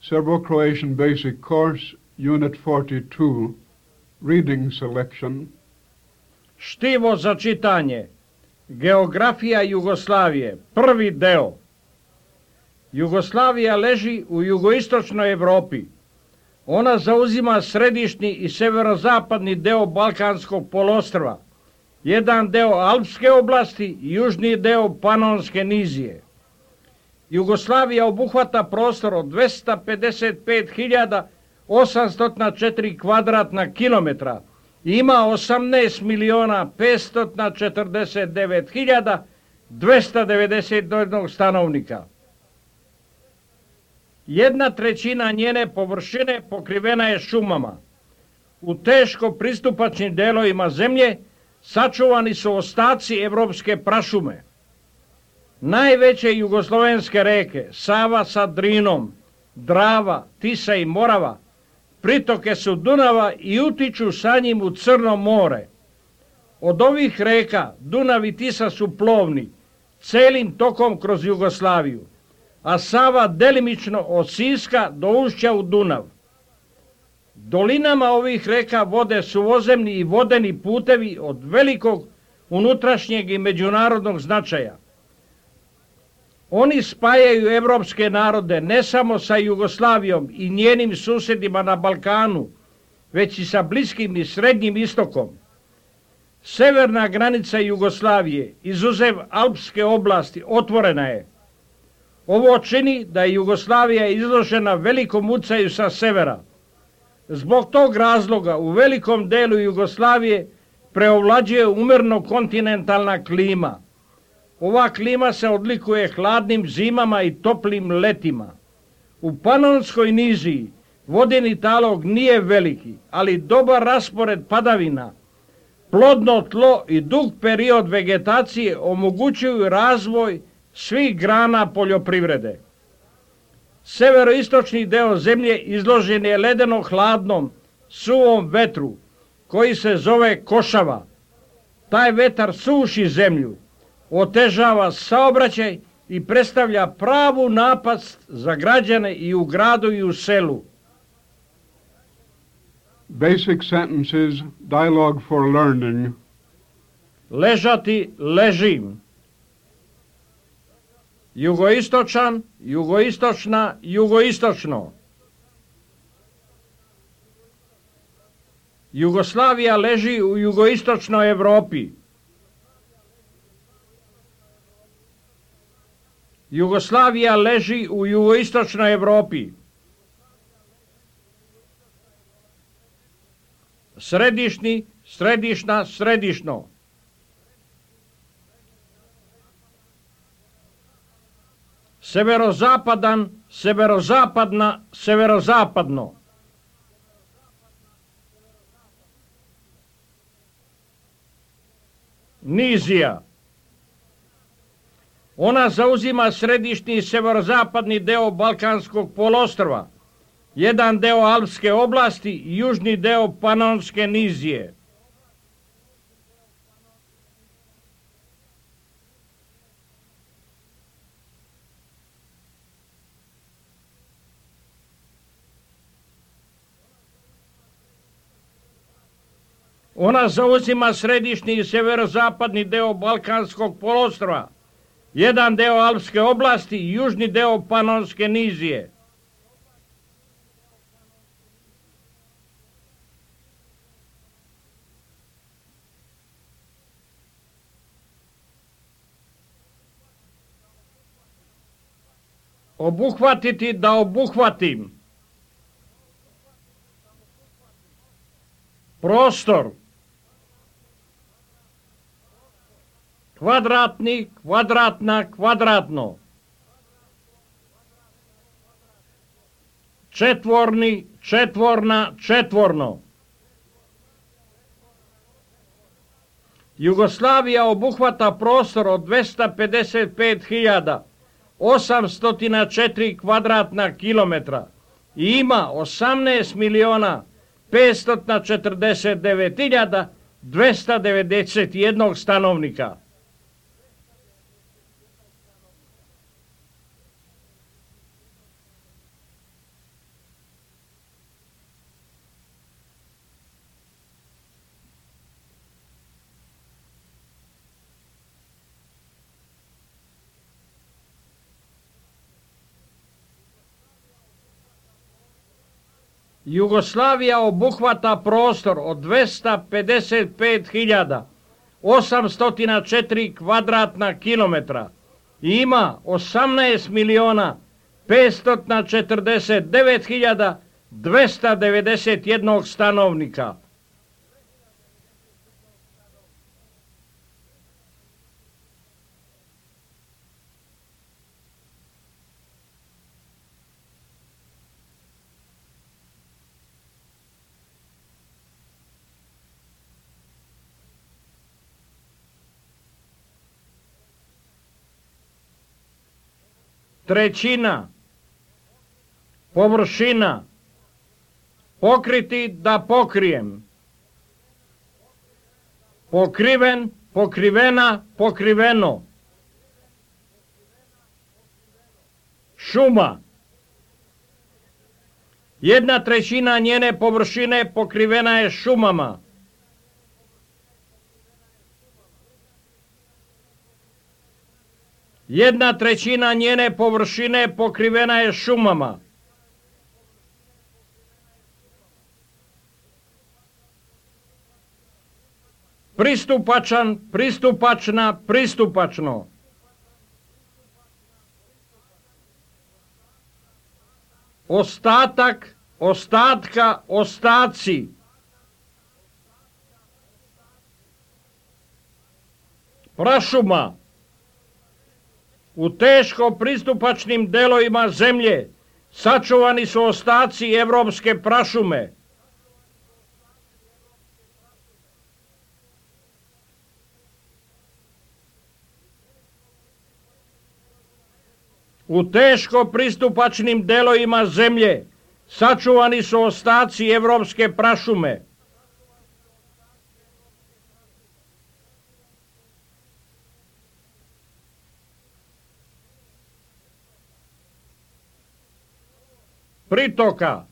Serbo-Croatian Basic Course, Unit 42, Reading Selection. Štivo za čitanje. Geografija Jugoslavije. Prvi deo. Jugoslavija leži u jugoistočnoj Evropi. Ona zauzima središnji i severozapadni deo Balkanskog poluostrva, jedan deo Alpske oblasti i južni deo Panonske nizije. Jugoslavija obuhvata prostor od 255.804 kvadratna kilometra i ima 18.549.291 stanovnika. 1/3 njene površine pokrivena je šumama. U teško pristupačnim delovima zemlje sačuvani su ostaci evropske prašume. Najveće jugoslovenske reke, Sava sa Drinom, Drava, Tisa i Morava, pritoke su Dunava i utiču sa njim u Crno more. Od ovih reka Dunav i Tisa su plovni, celim tokom kroz Jugoslaviju, a Sava delimično od Siska do ušća u Dunav. Dolinama ovih reka vode suvozemni i vodeni putevi od velikog unutrašnjeg i međunarodnog značaja. Oni spajaju evropske narode ne samo sa Jugoslavijom i njenim susjedima na Balkanu, već i sa Bliskim i Srednjim istokom. Severna granica Jugoslavije, izuzev Alpske oblasti, otvorena je. Ovo čini da je Jugoslavija izložena velikom ucaju sa severa. Zbog tog razloga u velikom delu Jugoslavije preovlađuje umjerno kontinentalna klima. Ova klima se odlikuje hladnim zimama i toplim letima. U Panonskoj niziji vodeni talog nije veliki, ali dobar raspored padavina, plodno tlo i dug period vegetacije omogućuju razvoj svih grana poljoprivrede. Severoistočni deo zemlje izložen je ledeno hladnom, suvom vetru, koji se zove košava. Taj vetar suši zemlju, otežava saobraćaj i predstavlja pravu napast za građane i u gradu i u selu. Basic sentences, dialogue for learning. Ležati, ležim. Jugoistočan, jugoistočna, jugoistočno. Jugoslavija leži u jugoistočnoj Evropi. Jugoslavija leži u jugoistočnoj Evropi. Središnji, središna, središno. Severozapadan, severozapadna, severozapadno. Nizija. Ona zauzima središnji i severozapadni deo Balkanskog poluostrva, jedan deo Alpske oblasti i južni deo Panonske nizije. Ona zauzima središnji i severozapadni deo Balkanskog poluostrva, jedan deo Alpske oblasti i južni deo Panonske nizije. Obuhvatiti, da obuhvatim. Prostor. Kvadratni, kvadratna, kvadratno. Četvorni, četvorna, četvorno. Jugoslavija obuhvata prostor od 255.804 kvadratna kilometra i ima 18.549.291 stanovnika. Jugoslavija obuhvata prostor od 255.804 kvadratna kilometra i ima 18.549.291 stanovnika. Trećina, površina, pokriti da pokrijem, pokriven, pokrivena, pokriveno, šuma, 1/3 njene površine pokrivena je šumama. Jedna trećina njene površine pokrivena je šumama. Pristupačan, pristupačna, pristupačno. Ostatak, ostatka, ostaci. Prašuma. U teško pristupačnim delovima zemlje sačuvani su ostaci evropske prašume. U teško pristupačnim delovima zemlje sačuvani su ostaci evropske prašume. Pritoka,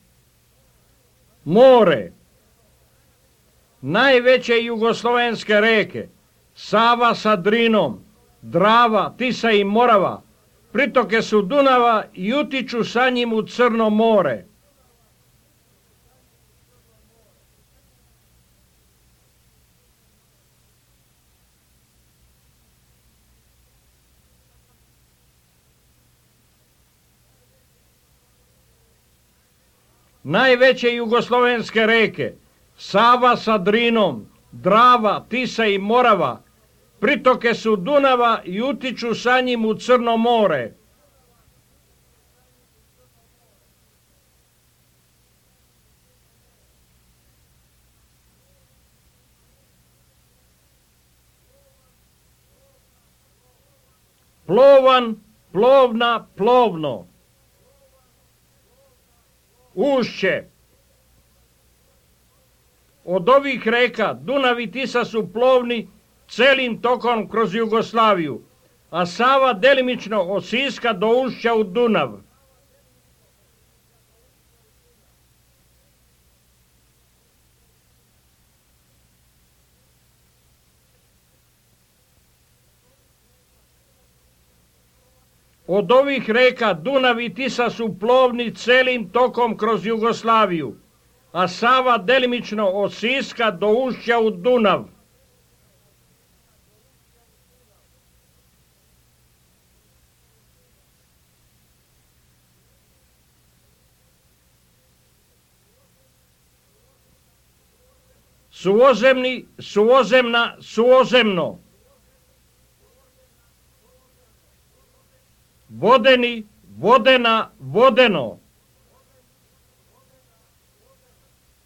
more, najveće jugoslovenske reke, Sava sa Drinom, Drava, Tisa i Morava, pritoke su Dunava i utiču sa njim u Crno more. Najveće jugoslovenske reke, Sava sa Drinom, Drava, Tisa i Morava, pritoke su Dunava i utiču sa njim u Crno more. Plovan, plovna, plovno. Ušće. Od ovih reka Dunav i Tisa su plovni celim tokom kroz Jugoslaviju, a Sava delimično od Siska do ušća u Dunav. Od ovih reka Dunav i Tisa su plovni celim tokom kroz Jugoslaviju, a Sava delimično od Siska do ušća u Dunav. Suozemni, suozemna, suozemno. Vodeni, vodena, vodeno.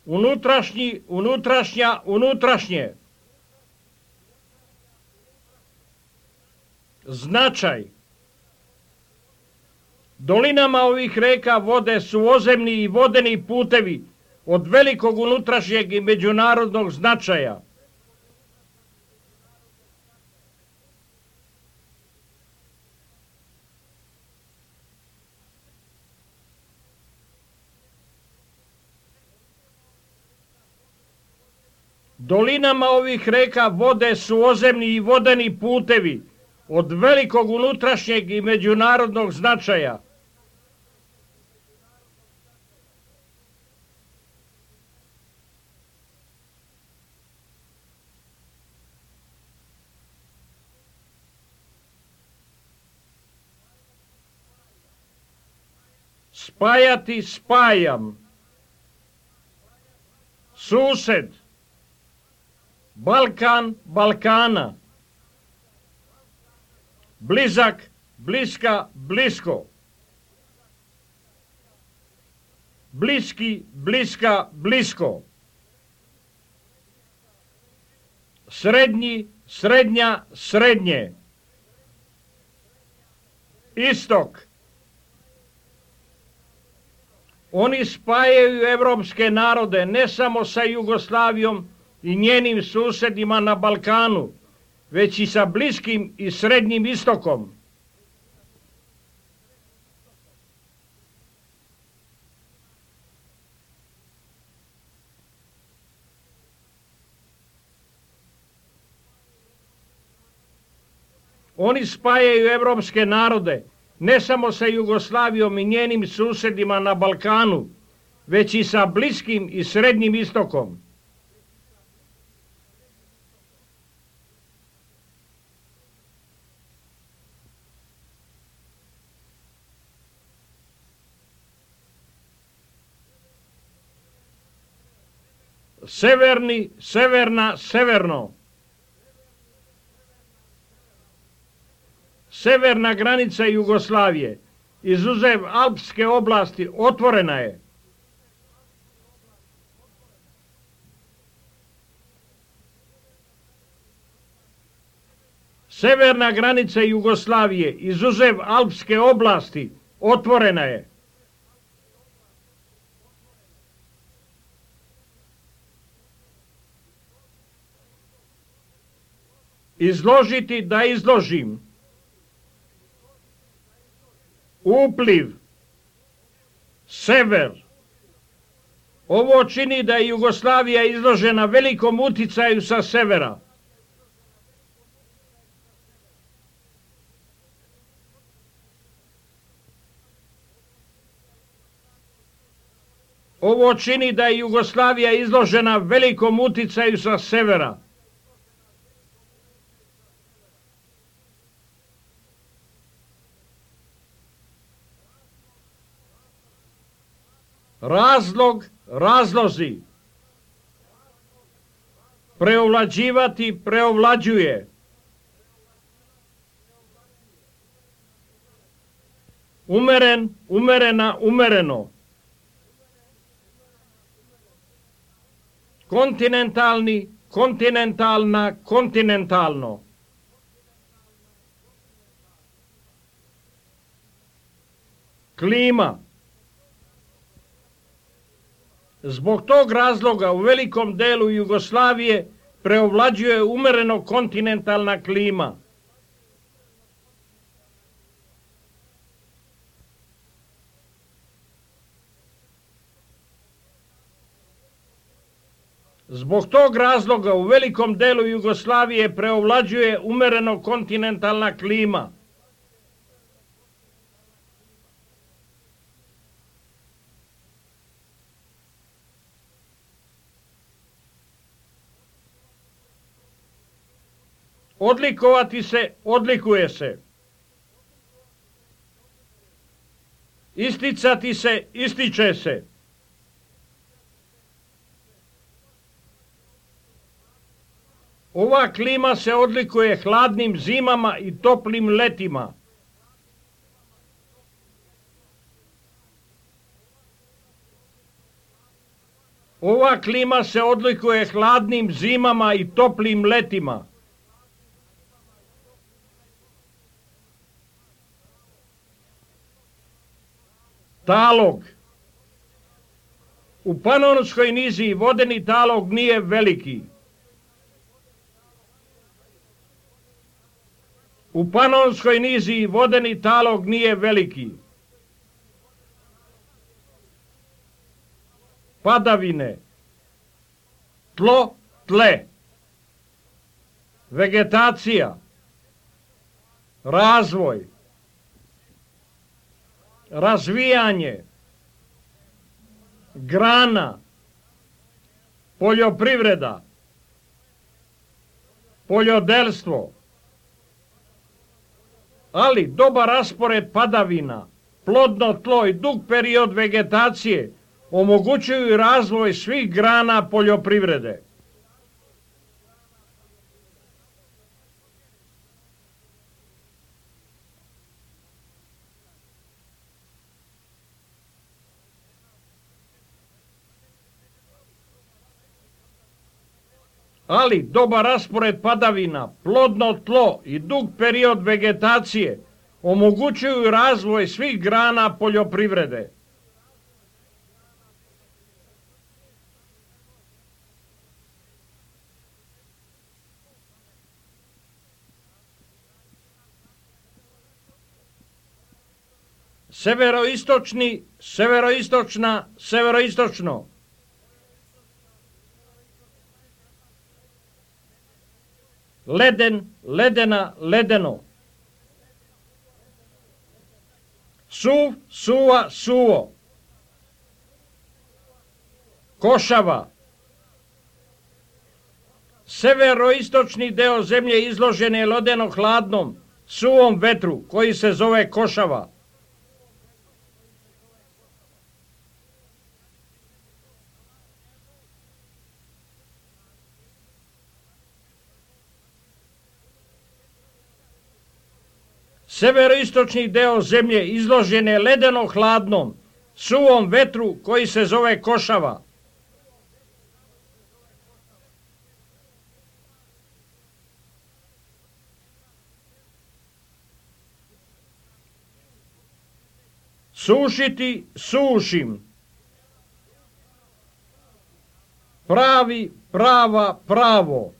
Unutrašnji, unutrašnja, unutrašnje. Značaj. Dolinama ovih reka vode suozemni i vodeni putevi od velikog unutrašnjeg i međunarodnog značaja. Dolinama ovih reka vode suozemni i vodeni putevi od velikog unutrašnjeg i međunarodnog značaja. spajati, spajam. Sused, Balkan, Balkana. Blizak, bliska, blisko. Bliski, bliska, blisko. Srednji, srednja, srednje. Istok. Oni spajaju evropske narode ne samo sa Jugoslavijom i njenim susedima na Balkanu, već i sa Bliskim i Srednjim istokom. Oni spajaju evropske narode ne samo sa Jugoslavijom i njenim susedima na Balkanu, već i sa Bliskim i Srednjim istokom. Severni, severna, severno. Severna granica Jugoslavije, izuzev Alpske oblasti, otvorena je. Severna granica Jugoslavije, izuzev Alpske oblasti, otvorena je. Izložiti da izložim. Upliv, sever. Ovo čini da je Jugoslavija izložena velikom uticaju sa severa. Ovo čini da je Jugoslavija izložena velikom uticaju sa severa. Razlog, razlozi. Preovlađivati, preovlađuje. Umeren, umerena, umereno. Kontinentalni, kontinentalna, kontinentalno. Klima. Zbog tog razloga u velikom delu Jugoslavije preovlađuje umereno kontinentalna klima. Zbog tog razloga u velikom delu Jugoslavije preovlađuje umereno kontinentalna klima. Odlikovati se, odlikuje se. Isticati se, ističe se. Ova klima se odlikuje hladnim zimama i toplim letima. Ova klima se odlikuje hladnim zimama i toplim letima. Talog. U Panonskoj niziji vodeni talog nije veliki. U Panonskoj niziji vodeni talog nije veliki. Padavine. Tlo, tle. Vegetacija. Razvoj. Razvijanje. Grana. Poljoprivreda. Poljodelstvo. Ali dobar raspored padavina, plodno tlo i dug period vegetacije omogućuju razvoj svih grana poljoprivrede. Ali dobar raspored padavina, plodno tlo i dug period vegetacije omogućuju razvoj svih grana poljoprivrede. Severoistočni, severoistočna, severoistočno. Leden, ledena, ledeno. Suv, suva, suvo. Košava. Severoistočni deo zemlje izložen je ledeno-hladnom, suvom vetru koji se zove košava. Severoistočni deo zemlje izložen je ledeno-hladnom, suvom vetru koji se zove košava. Sušiti, sušim. Pravi, prava, pravo.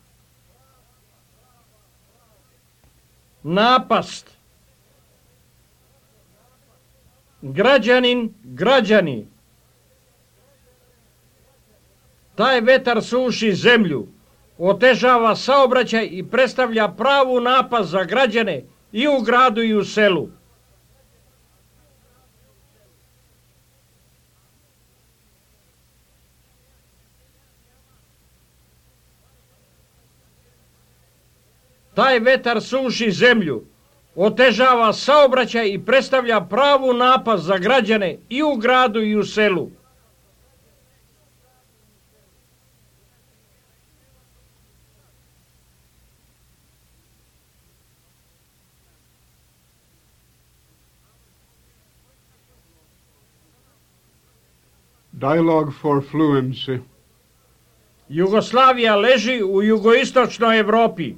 Napast. Građanin, građani. Taj vetar suši zemlju, otežava saobraćaj i predstavlja pravu napast za građane i u gradu i u selu. Taj vetar suši zemlju, otežava saobraćaj i predstavlja pravu napast za građane i u gradu i u selu. Dialogue for fluency. Jugoslavija leži u jugoistočnoj Evropi.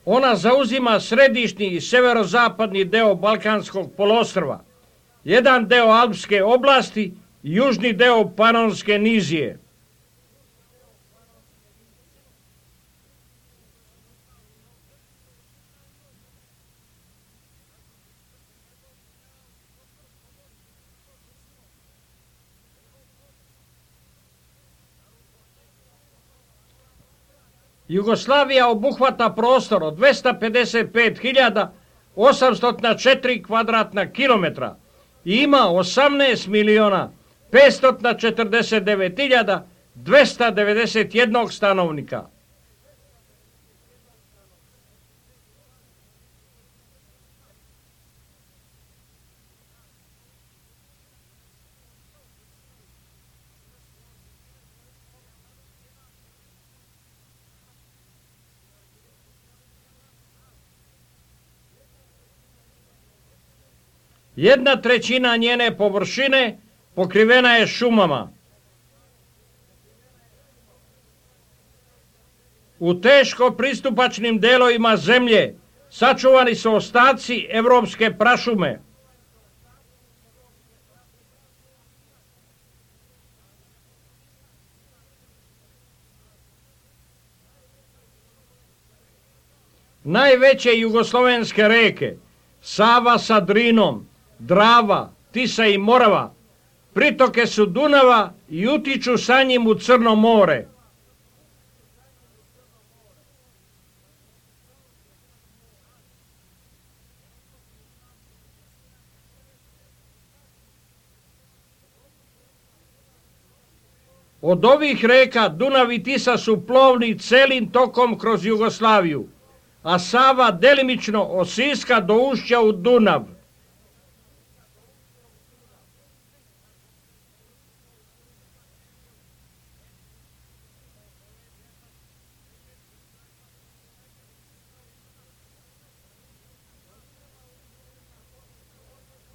Ona zauzima središnji i severozapadni deo Balkanskog poluostrva, jedan deo Alpske oblasti i južni deo Panonske nizije. Jugoslavija obuhvata prostor od 255.804 kvadratna kilometra i ima 18.549.291 stanovnika. Jedna trećina njene površine pokrivena je šumama. U teško pristupačnim delovima zemlje sačuvani su ostaci evropske prašume. Najveće jugoslovenske reke, Sava sa Drinom, Drava, Tisa i Morava, pritoke su Dunava i utiču sa njim u Crno more. Od ovih reka Dunav i Tisa su plovni celim tokom kroz Jugoslaviju, a Sava delimično od Siska do ušća u Dunav.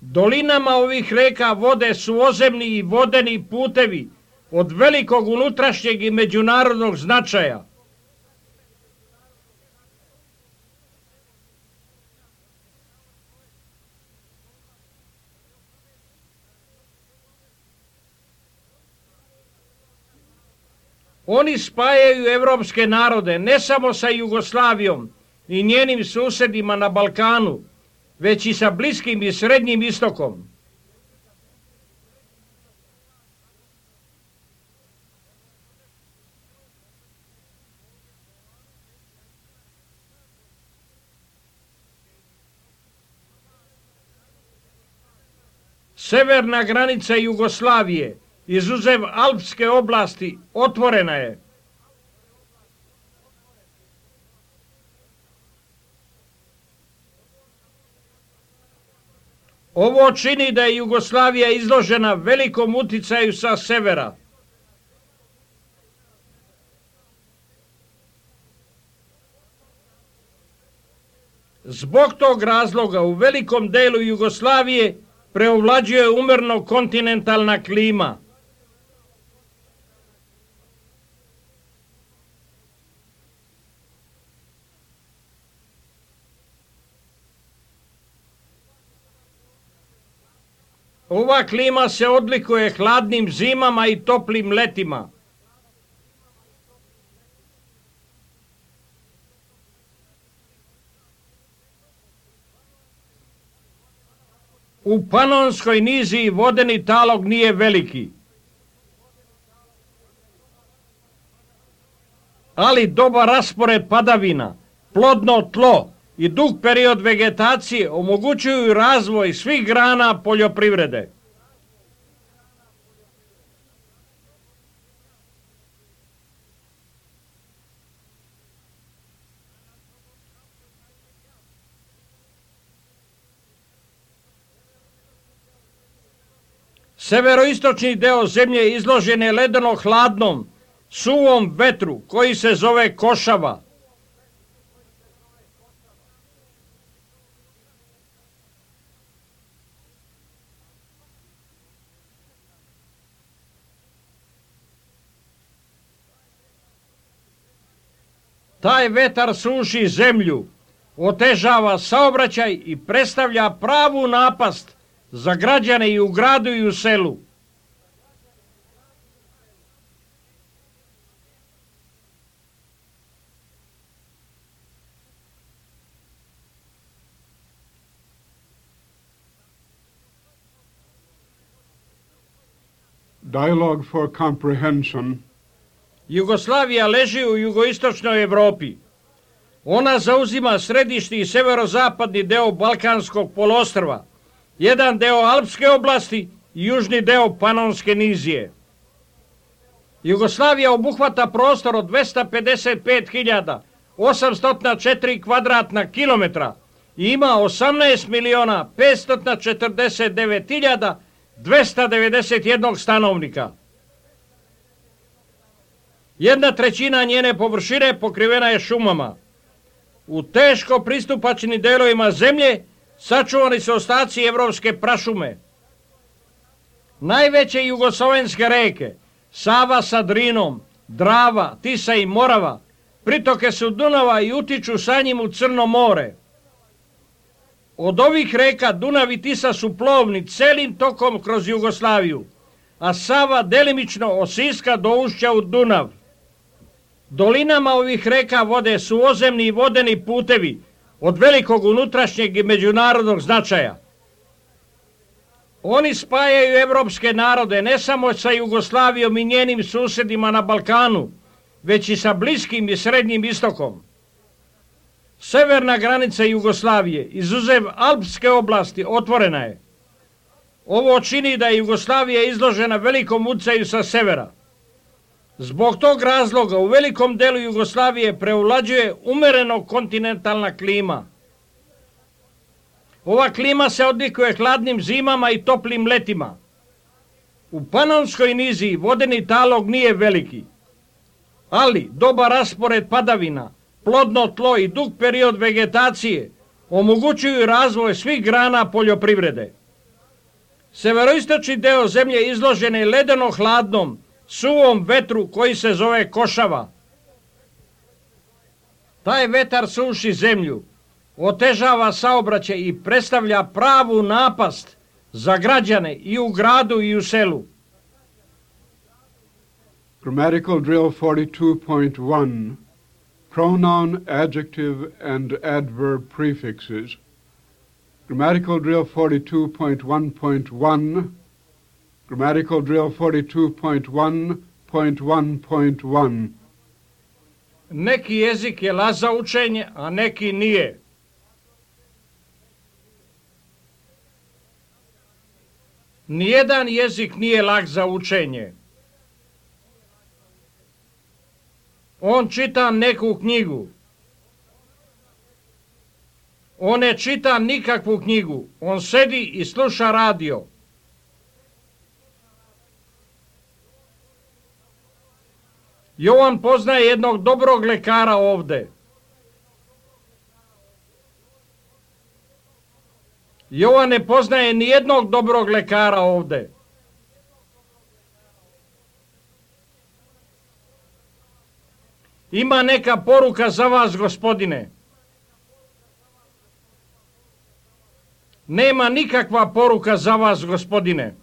Dolinama ovih reka vode su ozemni i vodeni putevi od velikog unutrašnjeg i međunarodnog značaja. Oni spajaju evropske narode ne samo sa Jugoslavijom i njenim susedima na Balkanu, već i sa Bliskim i Srednjim istokom. Severna granica Jugoslavije, izuzev Alpske oblasti, otvorena je. Ovo čini da je Jugoslavija izložena velikom uticaju sa severa. Zbog tog razloga u velikom delu Jugoslavije preovlađuje umerno kontinentalna klima. Ova klima se odlikuje hladnim zimama i toplim letima. U Panonskoj niziji vodeni talog nije veliki, ali dobar raspored padavina, plodno tlo i dug period vegetacije omogućuju razvoj svih grana poljoprivrede. Severoistočni deo zemlje izložen je ledeno hladnom, suvom vetru koji se zove košava. Taj vetar suši zemlju, otežava saobraćaj i predstavlja pravu napast za građane i u gradu i u selu. Dialogue for comprehension. Jugoslavija leži u jugoistočnoj Evropi. Ona zauzima središnji i severozapadni deo Balkanskog poluostrva, jedan deo Alpske oblasti i južni deo Panonske nizije. Jugoslavija obuhvata prostor od 255.804 kvadratna kilometra i ima 18.549.291 stanovnika. 1/3 njene površine pokrivena je šumama. U teško pristupačnim delovima zemlje sačuvani su ostaci evropske prašume. Najveće jugoslovenske reke, Sava sa Drinom, Drava, Tisa i Morava, pritoke su Dunava i utiču sa njim u Crno more. Od ovih reka Dunav i Tisa su plovni celim tokom kroz Jugoslaviju, a Sava delimično od Siska do ušća u Dunav. Dolinama ovih reka vode su ozemni i vodeni putevi od velikog unutrašnjeg i međunarodnog značaja. Oni spajaju evropske narode ne samo sa Jugoslavijom i njenim susedima na Balkanu, već i sa Bliskim i Srednjim istokom. Severna granica Jugoslavije, izuzev Alpske oblasti, otvorena je. Ovo čini da je Jugoslavija izložena velikom uticaju sa severa. Zbog tog razloga u velikom delu Jugoslavije prevlađuje umereno kontinentalna klima. Ova klima se odlikuje hladnim zimama i toplim letima. U Panonskoj niziji vodeni talog nije veliki, ali dobar raspored padavina, plodno tlo i dug period vegetacije omogućuju razvoj svih grana poljoprivrede. Severoistočni deo zemlje izložen je ledeno hladnom, suvom vetru koji se zove košava. Taj vetar suši zemlju, otežava saobraćaj i predstavlja pravu napast za građane i u gradu i u selu. Grammatical drill 42.1 Pronoun, adjective, and adverb prefixes. Grammatical drill 42.1.1 Grammatical drill 42.1.1.1 Neki jezik je lak za učenje, a neki nije. Nijedan jezik nije lak za učenje. On čita neku knjigu. On ne čita nikakvu knjigu. On sedi i sluša radio. Jovan poznaje jednog dobrog lekara ovde. Jovan ne poznaje ni jednog dobrog lekara ovde. Ima neka poruka za vas, gospodine. Nema nikakva poruka za vas, gospodine.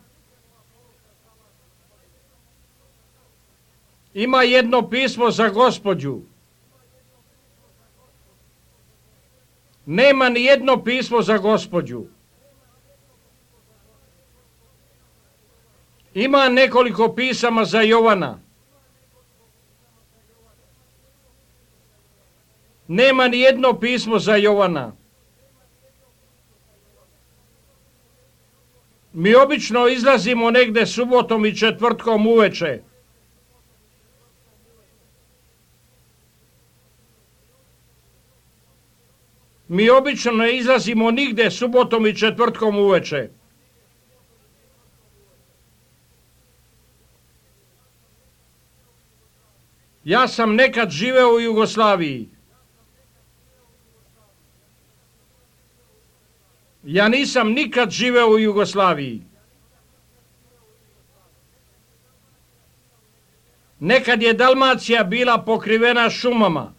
Ima jedno pismo za gospođu. Nema ni jedno pismo za gospođu. Ima nekoliko pisama za Jovana. Nema ni jedno pismo za Jovana. Mi obično izlazimo negde subotom i četvrtkom uveče. Mi obično ne izlazimo nigde subotom i četvrtkom uveče. Ja sam nekad živeo u Jugoslaviji. Ja nisam nikad živeo u Jugoslaviji. Nekad je Dalmacija bila pokrivena šumama.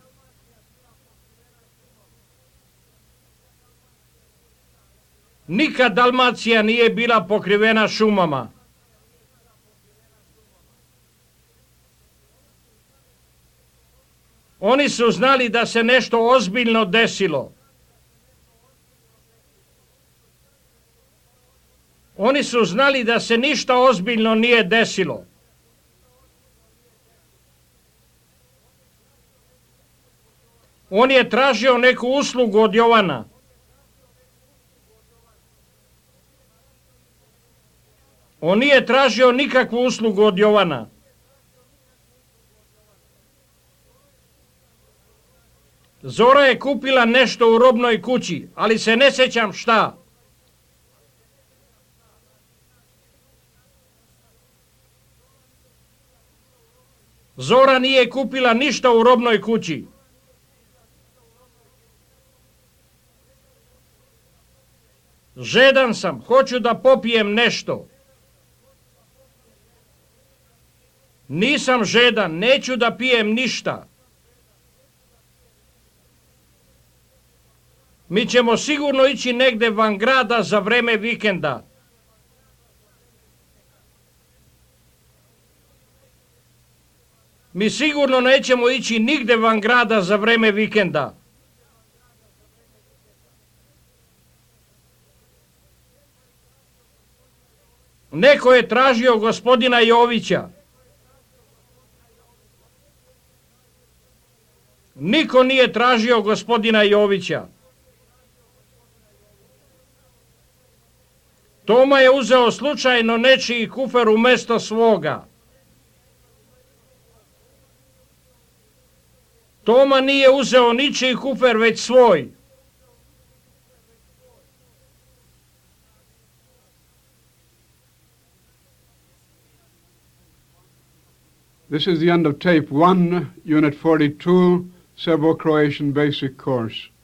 Nikad Dalmacija nije bila pokrivena šumama. Oni su znali da se nešto ozbiljno desilo. Oni su znali da se ništa ozbiljno nije desilo. On je tražio neku uslugu od Jovana. On nije tražio nikakvu uslugu od Jovana. Zora je kupila nešto u robnoj kući, ali se ne sjećam šta. Zora nije kupila ništa u robnoj kući. Žedan sam, hoću da popijem nešto. Nisam žedan, neću da pijem ništa. Mi ćemo sigurno ići negde van grada za vreme vikenda. Mi sigurno nećemo ići nigde van grada za vreme vikenda. Neko je tražio gospodina Jovića. Niko nije tražio gospodina Jovića. Toma je uzeo slučajno nečiji kufer umesto svoga. Toma nije uzeo ničiji kufer, već svoj. This is the end of tape 1, Unit 42, Serbo-Croatian Basic Course.